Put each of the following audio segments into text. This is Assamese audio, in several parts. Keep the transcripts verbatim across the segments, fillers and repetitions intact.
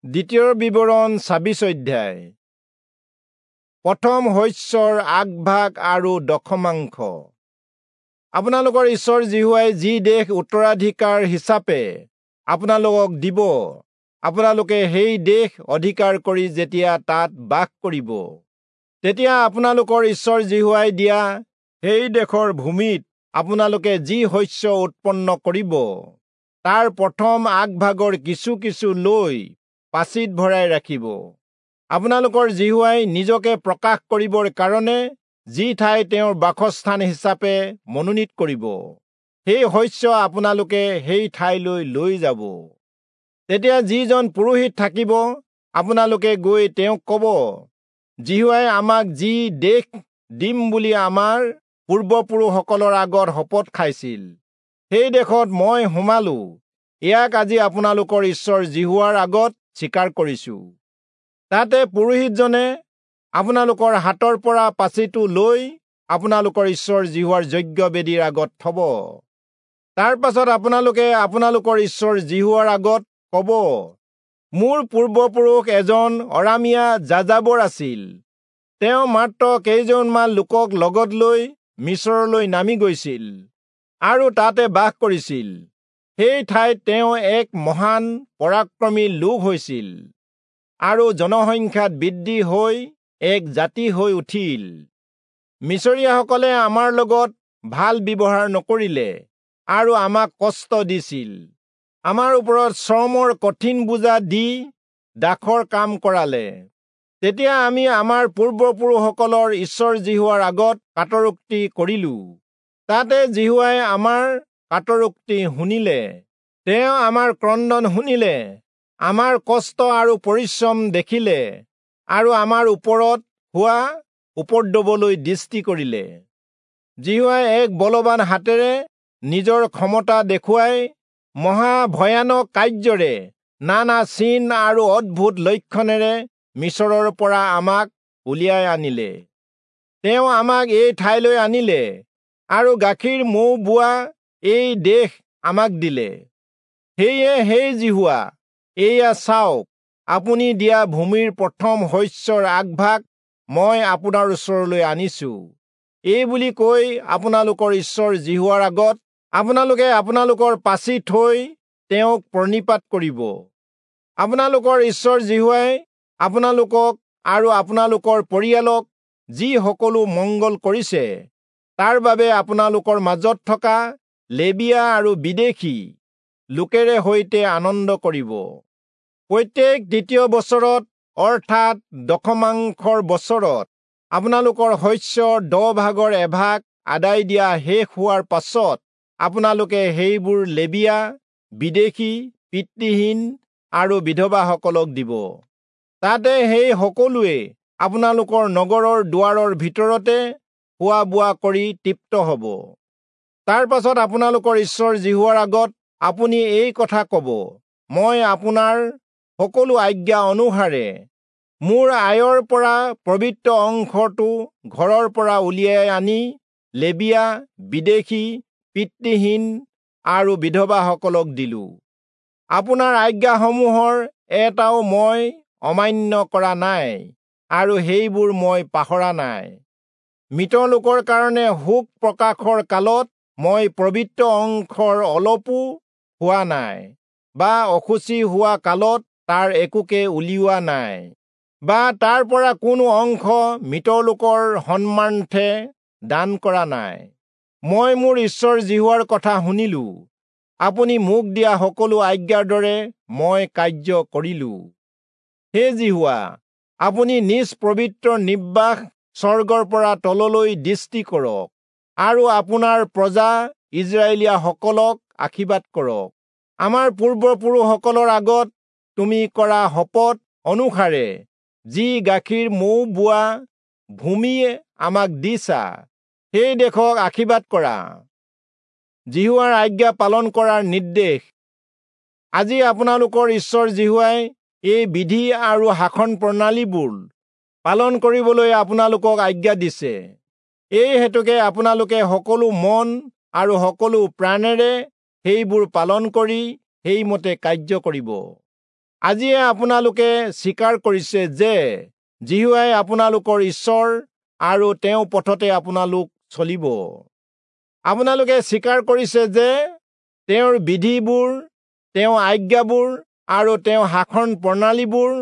দ্বিতীয় বিৱৰণ ছাব্বিশ অধ্যায়। প্ৰথম শস্যৰ আগভাগ আৰু দশমাংশ। আপোনালোকৰ ঈশ্বৰ যিহোৱাই যি দেশ উত্তৰাধিকাৰ হিচাপে আপোনালোকক দিব, আপোনালোকে সেই দেশ অধিকাৰ কৰি যেতিয়া তাত বাস কৰিব, তেতিয়া আপোনালোকৰ ঈশ্বৰ যিহোৱাই দিয়া সেই দেশৰ ভূমিত আপোনালোকে যি শস্য উৎপন্ন কৰিব, তাৰ প্ৰথম আগভাগৰ কিছু কিছু লৈ পাচিত ভৰাই ৰাখিব। আপোনালোকৰ যিহোৱাই নিজকে প্ৰকাশ কৰিবৰ কাৰণে যি ঠাই তেওঁৰ বাসস্থান হিচাপে মনোনীত কৰিব, সেই শস্য আপোনালোকে সেই ঠাইলৈ লৈ যাব। তেতিয়া যিজন পুৰোহিত থাকিব, আপোনালোকে গৈ তেওঁক ক'ব, যিহোৱাই আমাক যি দেশ দিম বুলি আমাৰ পূৰ্বপুৰুষসকলৰ আগত শপত খাইছিল, সেই দেশত মই সোমালো, ইয়াক আজি আপোনালোকৰ ঈশ্বৰ যিহোৱাৰ আগত স্বীকাৰ কৰিছো। তাতে পুৰোহিতজনে আপোনালোকৰ হাতৰ পৰা পাচিটো লৈ আপোনালোকৰ ঈশ্বৰ যিহোৱাৰ যজ্ঞবেদীৰ আগত থব। তাৰ পাছত আপোনালোকে আপোনালোকৰ ঈশ্বৰ যিহোৱাৰ আগত ক'ব, মোৰ পূৰ্বপুৰুষ এজন অৰামীয়া যাযাবৰ আছিল, তেওঁ মাত্ৰ কেইজনমান লোকক লগত লৈ মিচৰলৈ নামি গৈছিল আৰু তাতে বাস কৰিছিল। সেই ঠাইত তেওঁ এক মহান পৰাক্ৰমী লোক হৈছিল আৰু জনসংখ্যাত বৃদ্ধি হৈ এক জাতি হৈ উঠিল। মিচৰীয়াসকলে আমাৰ লগত ভাল ব্যৱহাৰ নকৰিলে আৰু আমাক কষ্ট দিছিল, আমাৰ ওপৰত শ্ৰমৰ কঠিন বোজা দি দাসৰ কাম কৰালে। তেতিয়া আমি আমাৰ পূৰ্বপুৰুষসকলৰ ঈশ্বৰ যিহোৱাৰ আগত কাতৰোক্তি কৰিলো। তাতে যিহোৱাই আমাৰ কাতৰোক্তি শুনিলে, তেওঁ আমাৰ ক্ৰন্দন শুনিলে, আমাৰ কষ্ট আৰু পৰিশ্ৰম দেখিলে আৰু আমাৰ ওপৰত হোৱা উপদ্ৰৱলৈ দৃষ্টি কৰিলে। যিহোৱাই এক বলৱান হাতেৰে নিজৰ ক্ষমতা দেখুৱাই মহা ভয়ানক কাৰ্যৰে, নানা চিন আৰু অদ্ভুত লক্ষণেৰে মিচৰৰ পৰা আমাক উলিয়াই আনিলে। তেওঁ আমাক এই ঠাইলৈ আনিলে আৰু গাখীৰ মৌ বোৱা এই দেশ আমাক দিলে। সেয়ে হে যিহোৱা, এয়া চাওক, আপুনি দিয়া ভূমিৰ প্ৰথম শস্যৰ আগভাগ মই আপোনাৰ ওচৰলৈ আনিছো। এই বুলি কৈ আপোনালোকৰ ঈশ্বৰ যিহোৱাৰ আগত আপোনালোকে আপোনালোকৰ পাচি থৈ তেওঁক প্ৰণিপাত কৰিব। আপোনালোকৰ ঈশ্বৰ যিহোৱাই আপোনালোকক আৰু আপোনালোকৰ পৰিয়ালক যি সকলো মংগল কৰিছে, তাৰ বাবে আপোনালোকৰ মাজত থকা লেবীয়া আৰু বিদেশী লোকেৰে সৈতে আনন্দ কৰিব। প্ৰত্যেক দ্বিতীয় বছৰত, অৰ্থাৎ দশমাংশৰ বছৰত, আপোনালোকৰ শস্যৰ দহ ভাগৰ এভাগ আদায় দিয়া শেষ হোৱাৰ পাছত আপোনালোকে সেইবোৰ লেবীয়া, বিদেশী, পিতৃহীন আৰু বিধৱাসকলক দিব। তাতে সেই সকলোৱে আপোনালোকৰ নগৰৰ দুৱাৰৰ ভিতৰতে খোৱা বোৱা কৰি তৃপ্ত হ'ব। তাৰ পাছত আপোনালোকৰ ঈশ্বৰ যিহোৱাৰ আগত আপুনি এই কথা ক'ব, মই আপোনাৰ সকলো আজ্ঞা অনুসাৰে মোৰ আয়ৰ পৰা পবিত্ৰ অংশটো ঘৰৰ পৰা উলিয়াই আনি লেবীয়া, বিদেশী, পিতৃহীন আৰু বিধৱাসকলক দিলো। আপোনাৰ আজ্ঞাসমূহৰ এটাও মই অমান্য কৰা নাই আৰু সেইবোৰ মই পাহৰা নাই। মৃত লোকৰ কাৰণে শোক প্ৰকাশৰ কালত মই পবিত্ৰ অংশৰ অলপো হোৱা নাই বা অশুচি হোৱা কালত তাৰ একোকে উলিওৱা নাই বা তাৰ পৰা কোনো অংশ মৃত লোকৰ সন্মানাৰ্থে দান কৰা নাই। মই মোৰ ঈশ্বৰ যিহোৱাৰ কথা শুনিলো, আপুনি মোক দিয়া সকলো আজ্ঞাৰ দৰে মই কাৰ্য কৰিলো। হে যিহোৱা, আপুনি নিজ পবিত্ৰ নিবাস স্বৰ্গৰ পৰা তললৈ দৃষ্টি কৰক আৰু আপোনাৰ প্ৰজা ইস্ৰায়েলীয়াসকলক আশীৰ্বাদ কৰক। আমাৰ পূৰ্বপুৰুষসকলৰ আগত তুমি কৰা শপত অনুসাৰে যি গাখীৰ মৌ বোৱা ভূমিয়ে আমাক দিছা, সেই দেশক আশীৰ্বাদ কৰা। যিহোৱাৰ আজ্ঞা পালন কৰাৰ নিৰ্দেশ। আজি আপোনালোকৰ ঈশ্বৰ যিহোৱাই এই বিধি আৰু শাসন প্ৰণালীবোৰ পালন কৰিবলৈ আপোনালোকক আজ্ঞা দিছে। এই হেতুকে আপোনালোকে সকলো মন আৰু সকলো প্ৰাণেৰে সেইবোৰ পালন কৰি সেইমতে কাৰ্য কৰিব। আজিয়ে আপোনালোকে স্বীকাৰ কৰিছে যে যিহোৱাই আপোনালোকৰ ঈশ্বৰ আৰু তেওঁ পথতে আপোনালোক চলিব। আপোনালোকে স্বীকাৰ কৰিছে যে তেওঁৰ বিধিবোৰ, তেওঁৰ আজ্ঞাবোৰ আৰু তেওঁৰ শাসন প্ৰণালীবোৰ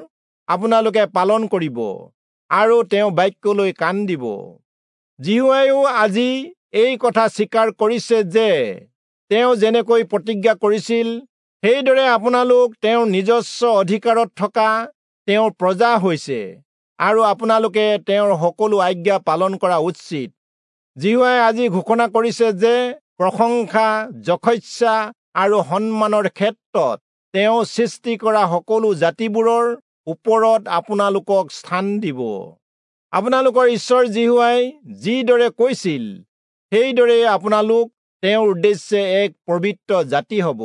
আপোনালোকে পালন কৰিব আৰু তেওঁ বাক্যলৈ কাণ দিব। যিহোৱাইও আজি এই কথা স্বীকাৰ কৰিছে যে তেওঁ যেনেকৈ প্ৰতিজ্ঞা কৰিছিল, সেইদৰে আপোনালোক তেওঁৰ নিজস্ব অধিকাৰত থকা তেওঁৰ প্ৰজা হৈছে আৰু আপোনালোকে তেওঁৰ সকলো আজ্ঞা পালন কৰা উচিত। যিহোৱাই আজি ঘোষণা কৰিছে যে প্ৰশংসা, যশস্যা আৰু সন্মানৰ ক্ষেত্ৰত তেওঁ সৃষ্টি কৰা সকলো জাতিবোৰৰ ওপৰত আপোনালোকক স্থান দিব। আপোনালোকৰ ঈশ্বৰ যিহোৱাই যিদৰে কৈছিল, সেইদৰে আপোনালোক তেওঁৰ উদ্দেশ্যে এক পবিত্ৰ জাতি হ'ব।